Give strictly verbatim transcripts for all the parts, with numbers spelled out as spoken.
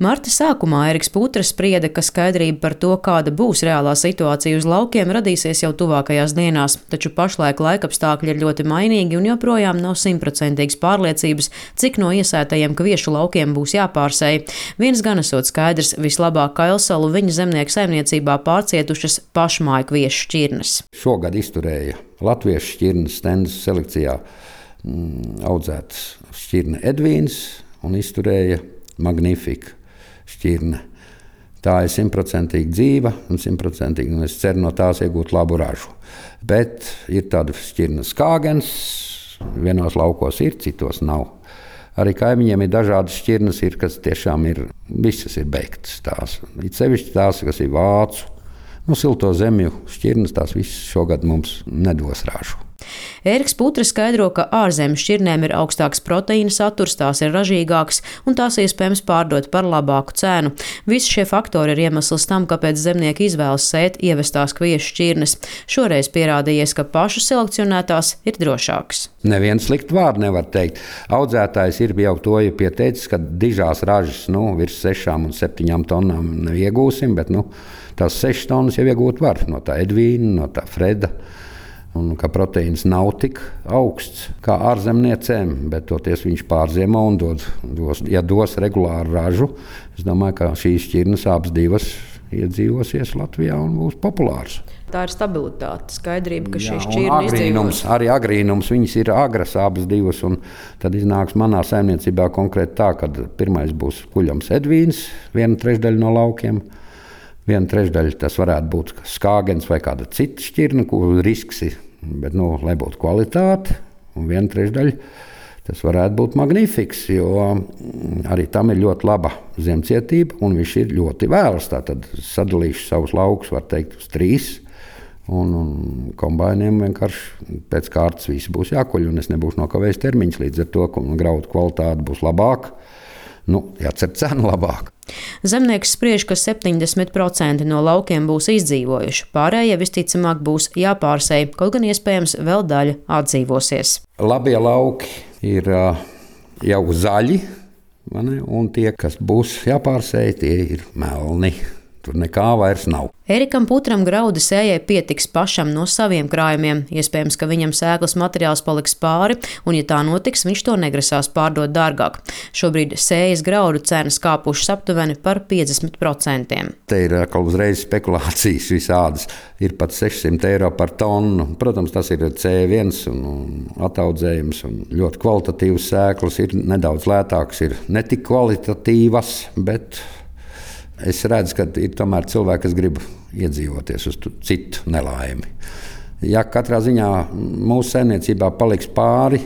Marta sākumā Eriks Putras sprieda, ka skaidrība par to, kāda būs reālā situācija uz laukiem, radīsies jau tuvākajās dienās, taču pašlaik laikapstākļi ir ļoti mainīgi un joprojām nav simtprocentīgas pārliecības, cik no iesētajiem kviešu laukiem būs jāpārsēj. Viens gan esot skaidrs, vislabāk kailsalu viņa zemnieku saimniecībā pārcietušas pašmāju kviešu šķirnes. Šogad izturēja latviešu šķirnes stendas selekcijā mm, audzētas šķirne Edvīns un izturēja Magnifika šķirne. Tā ir simtprocentīgi dzīva un simtprocentīgi, un es ceru no tās iegūt labu ražu. Bet ir tāda šķirne Skāgens, vienos laukos ir, citos nav. Arī kaimiņiem ir dažādas šķirnes, ir, kas tiešām ir, visas ir beigtas tās. It sevišķi tās, kas ir vācu, nu, silto zemju šķirnes, tās visas šogad mums nedos ražu. Eriks Putras skaidro, ka ārzemju šķirnēm ir augstāks proteīna saturs, tās ir ražīgākas un tās iespējams pārdot par labāku cenu. Visi šie faktori ir iemesls tam, kāpēc zemnieki izvēlas sēt ievestās kviešu šķirnes. Šoreiz pierādījies, ka pašu selekcionētās ir drošākas. Nevienu sliktu vārdu nevar teikt. Audzētājs ir jau to ir pieteicis, ka dižās ražas nu, virs sešām un septiņām tonnām neiegūsim, bet nu, tās sešas tonnas jau iegūt var no tā Edvīna, no tā Freda. Un ka proteīns nav tik augsts kā ārzemniecēm, bet toties viņš pārziemo un dod, dos, ja dos regulāru ražu. Es domāju, ka šīs šķirnes abas divas iedzīvosies Latvijā un būs populāras. Tā ir stabilitāte, skaidrība, ka šī Jā, šķirne izdzīvos. Arī agrīnums, viņas ir agras abas divas, un tad iznāks manā saimniecībā konkrēti tā, ka pirmais būs kuļams Edvīns, viena trešdaļa no laukiem. Viena trešdaļa tas varētu būt Skāgens vai kāda cita šķirne, kur risks ir, bet, nu, lai būtu kvalitāte. Un viena trešdaļa tas varētu būt Magnifiks, jo arī tam ir ļoti laba zemcietība, un viņš ir ļoti vēls. Tātad sadalīšu savus laukus, var teikt, uz trīs. Un, un kombainiem vienkārši pēc kārtas visi būs jākuļ, un es nebūšu nokavējis termiņus līdz ar to, ka graudu kvalitāte būs labāka. Nu, jācer cenu labāk. Zemnieks spriež, ka septiņdesmit procenti no laukiem būs izdzīvojuši, pārējie visticamāk būs jāpārsēj, kaut gan iespējams vēl daļa atdzīvosies. Labie lauki ir uh, jau zaļi, mani, un tie, kas būs jāpārsēj, tie ir melni. Tur nekā vairs nav. Erikam Putram graudu sējai pietiks pašam no saviem krājumiem. Iespējams, ka viņam sēklas materiāls paliks pāri, un, ja tā notiks, viņš to negrasās pārdot dārgāk. Šobrīd sējas graudu cenas kāpušas aptuveni par piecdesmit procentiem. Te ir atkal uzreiz spekulācijas visādas. Ir pat sešsimt eiro par tonu. Protams, tas ir C viens un, un ataudzējums, un ļoti kvalitatīvas sēklas. Ir nedaudz lētākas, ir netik kvalitatīvas, bet es redzu, ka ir tomēr cilvēki, kas grib iedzīvoties uz citu nelaimi. Ja katrā ziņā mūsu saimniecībā paliks pāri,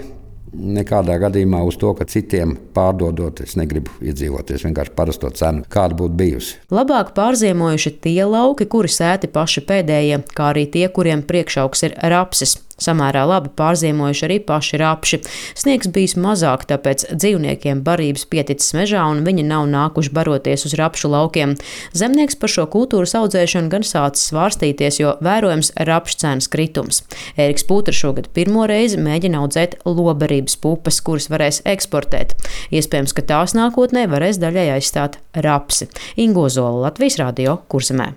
nekādā gadījumā uz to, ka citiem pārdodot, es negribu iedzīvoties vienkārši parasto cenu, kāda būtu bijusi. Labāk pārziemojuši tie lauki, kuri sēti paši pēdējie, kā arī tie, kuriem priekšaugs ir rapsis. Samērā labi pārziemojuši arī paši rapši. Sniegs bijis mazāk, tāpēc dzīvniekiem barības pieticis mežā un viņi nav nākuši baroties uz rapšu laukiem. Zemnieks par šo kultūras audzēšanu gan sācis svārstīties, jo vērojams rapšu cenas kritums. Eriks Putrs šogad pirmo reizi mēģina audzēt lobarības pupas, kuras varēs eksportēt. Iespējams, ka tās nākotnē varēs daļai aizstāt rapsi. Ingo Zola, Latvijas radio, Kurzemē.